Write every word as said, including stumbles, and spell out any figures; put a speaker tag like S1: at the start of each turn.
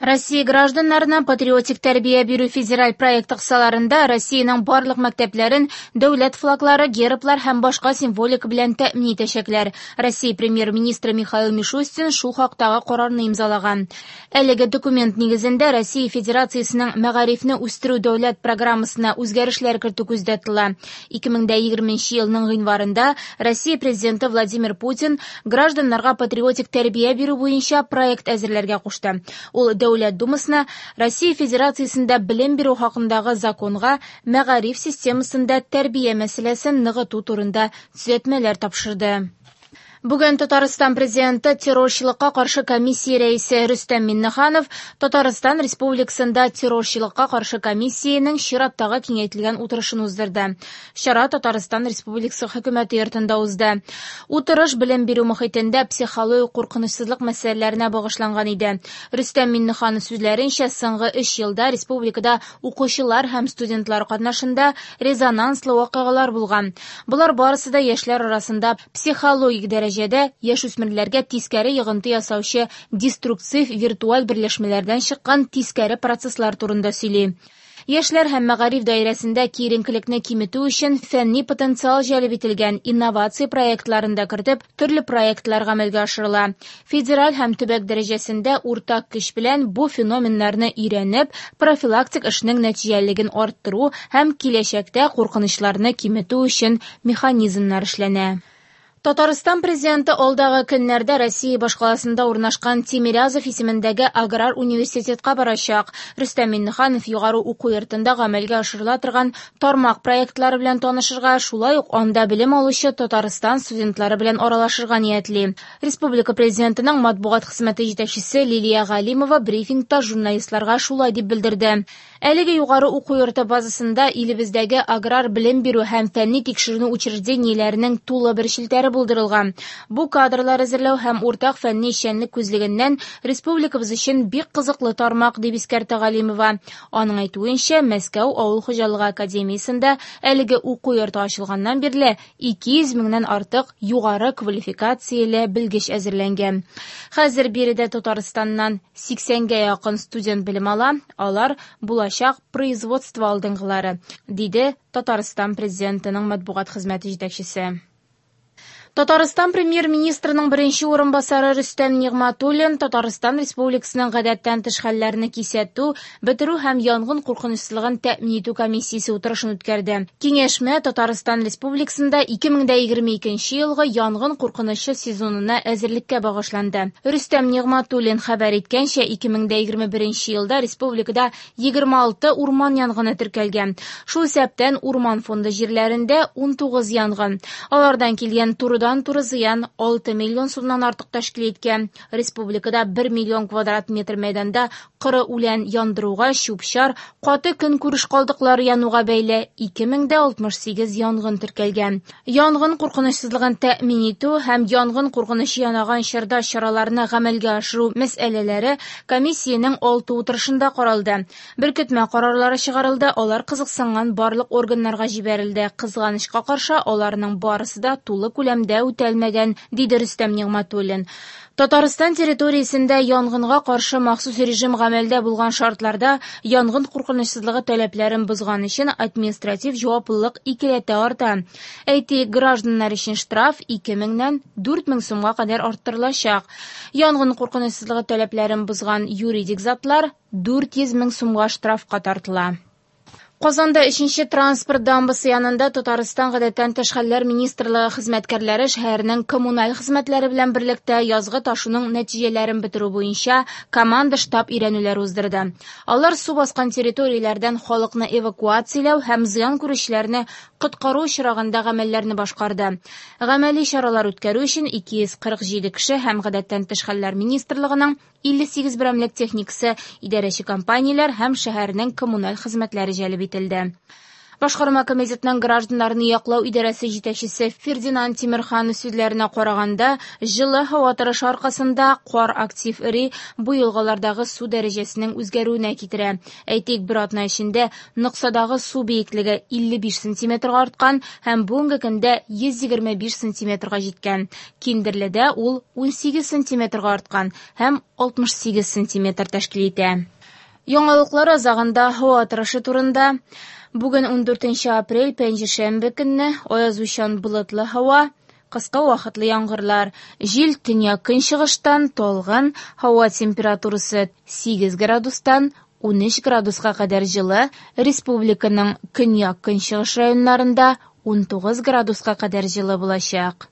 S1: Россия гражданнарына патриотик тәрбия бирү федераль проекты кысаларында Россиянең барлык мәктәпләрен дәүләт флаглары, герблар һәм башка символика белән тәэмин итәчәкләр. Россия премьер-министры Михаил Мишустин шул хактагы карарны имзалаган. Әлеге документ нигезендә Россия Федерациясенең мәгарифне үстерү дәүләт программасына үзгәрешләр кертү күздә тотыла. ике мең егерменче елның гыйнварында Россия президенты Владимир Путин гражданнарга патриотик тәрбия бирү буенча проект әзерләргә кушты. Ул Дәүләт Думасына Россия Федерациясендә белем бирү хакындагы законга мәгариф системасында тәрбия мәсьәләсен ныгыту турында төзәтмәләр тапшырды. Бүген Татарстан президенты террорчылыкка каршы комиссия рәисе Рөстәм Миңнеханов Татарстан Республикасында террорчылыкка каршы комиссиянең чираттагы киңәйтелгән утырышын уздырды. Чара Татарстан Республикасы хөкүмәте йортында узды. Утырыш белем бирү мохитендә психологик куркынычсызлык мәсьәләләренә багышланган иде. Рөстәм Миңнеханов сүзләренчә, соңгы өч елда республикада укучылар һәм студентлар катнашында резонанслы вакыйгалар булган. Болар барысы да яшьләр арасында психологик дәрәҗәдә яшүсмерләргә тискәре йогынты ясаучы деструктив виртуаль берләшмәләрдән чыккан тискәре процесслар турында сөйли. Яшьләр һәм мәгариф даирәсендә киеренкелекне киметү өчен фәнни потенциал җәлеп ителгән инновация проектларын да кертеп, төрле проектлар гамәлгә ашырыла. Федераль һәм төбәк дәрәҗәсендә уртак көч белән бу феноменнарны өйрәнеп, профилактик эшнең нәтиҗәлелеген арттыру һәм киләчәктә куркынычларны киметү өчен механизмнар эшләнә. Татарстан президенты алдагы көннәрдә Россия башкаласында урнашкан Тимирязев исемендәге аграр университетка барачак. Рөстәм Миңнеханов югары уку йортында гамәлгә ашырыла торган тармак проектлары белән танышырга, шулай ук анда белем алучы Татарстан студентлары белән аралашырга ниятли. Республика президентының матбугат хезмәте җитәкчесе Лилия Галимова брифингта журналистларга шулай дип белдерде. Әлеге югары уку йорты базасында илебездәге аграр белем бирү һәм фәнни тикшеренү учреждениеләренең тулы бер челтәре булдырылган. Бу кадрлар әзерләү һәм уртак фәнни эшчәнлек күзлегеннән республикабыз өчен бик кызыклы тармак, дип искәртә Галимова. Аның әйтүенчә, Мәскәү авыл хуҗалыгы академиясендә әлеге уку йорты ачылганнан бирле ике йөз меңнән артык югары квалификацияле белгеч әзерләнгән. Хәзер биредә Татарстаннан сиксәнгә якын студент белем ала, алар булачак производство алдынгылары, диде Татарстан президентының матбугат хезмәте җитәкчесе. Татарстан премьер-министрының беренче урынбасары Рөстәм Нигъмәтуллин Татарстан Республикасының гадәттән тыш хәлләрне кисәтү, бетерү һәм янгын куркынычсызлыгын тәэмин итү комиссиясе утырышын үткәрде. Киңәшмә Татарстан Республикасында ике мең егерме икенче елгы янгын куркынычы сезонына әзерлеккә багышланды. Рөстәм Нигъмәтуллин хәбәр иткәнчә, ике мең егерме беренче елда республикада егерме алты урман янгыны теркәлгән. Шул исәптән урман фонды җирләрендә ун тугыз янгын. Алардан килгән туры туры зыян алты миллион сумнан артык тәшкил иткән. Республикада бер миллион квадрат метр мәйданда коры үлән яндыруга, чүп-чар, каты көнкүреш калдыклары януга бәйле ике мең алтмыш сигез янгын теркәлгән. Янгын куркынычсызлыгын тәэмин итү һәм янгын куркынычы янаган чорда чараларны гамәлгә ашыру мәсьәләләре комиссиянең алты утырышында каралды. Беркетмә карарлары чыгарылды, алар кызыксынган барлык органнарга җибәрелде. Кызганычка каршы, аларның барысы да тулы күләмдә үтәлмәгән, диде Рөстәм Нигъмәтуллин. Татарстан территориясендә янгынга каршы махсус режим гамәлдә булган шартларда янгын куркынычсызлыгы таләпләрен бозган өчен административ җаваплылык икеләтә арта. Әйтик, гражданнар өчен штраф ике меңнән дүрт мең сумга кадәр арттырылачак. Янгын куркынычсызлыгы таләпләрен бозган юридик затлар дүрт йөз мең сумга штрафка тартыла. Казанда өченче транспорт дамбасы янында Татарстан гадәттән тыш хәлләр министрлыгы хезмәткәрләре шәһәрнең коммуналь хезмәтләре белән берлектә язгы ташуның нәтиҗәләрен бетерү буенча команда штаб өйрәнүләр уздырды. Алар су баскан территорияләрдән халыкны эвакуацияләү һәм зыян күрүчеләрне коткару очрагында гамәлләрне башкарды. Гамәли чаралар үткәрү өчен ике йөз кырык җиде кеше һәм гадәттән тыш хәлләр министрлыгының илле сигез берәмлек техникасы, идарәче компанияләр һәм шәһәрнең коммуналь хезмәтләре җәлеп ителде. Башкарма комитетның гражданнарны яклау идарәсе җитәкчесе Фердинанд Тимерханов сүзләренә караганда, җылы һава торышы аркасында кар актив эри, бу елгалардагы су дәрәҗәсенең үзгәрүенә китерә. Әйтик, бер атна эчендә Ноксадагы су биеклеге илле биш сантиметрга арткан һәм бүгенге көндә йөз егерме биш сантиметрга җиткән. Киндерледә ул унсигез сантиметрга арткан һәм алтмыш сигез сантиметр тәшкил итә. Яңалыклар азагында һава торышы турында. Бүген ундүртенче апрель, пәнҗешәмбе көнне аязучан болытлы һава, кыска вакытлы яңгырлар. Җил төньяк-көнчыгыштан талгын, һава температурасы сигез градустан унөч градуска кадәр җылы, республиканың көньяк-көнчыгыш районнарында унтугыз градуска кадәр җылы булачак.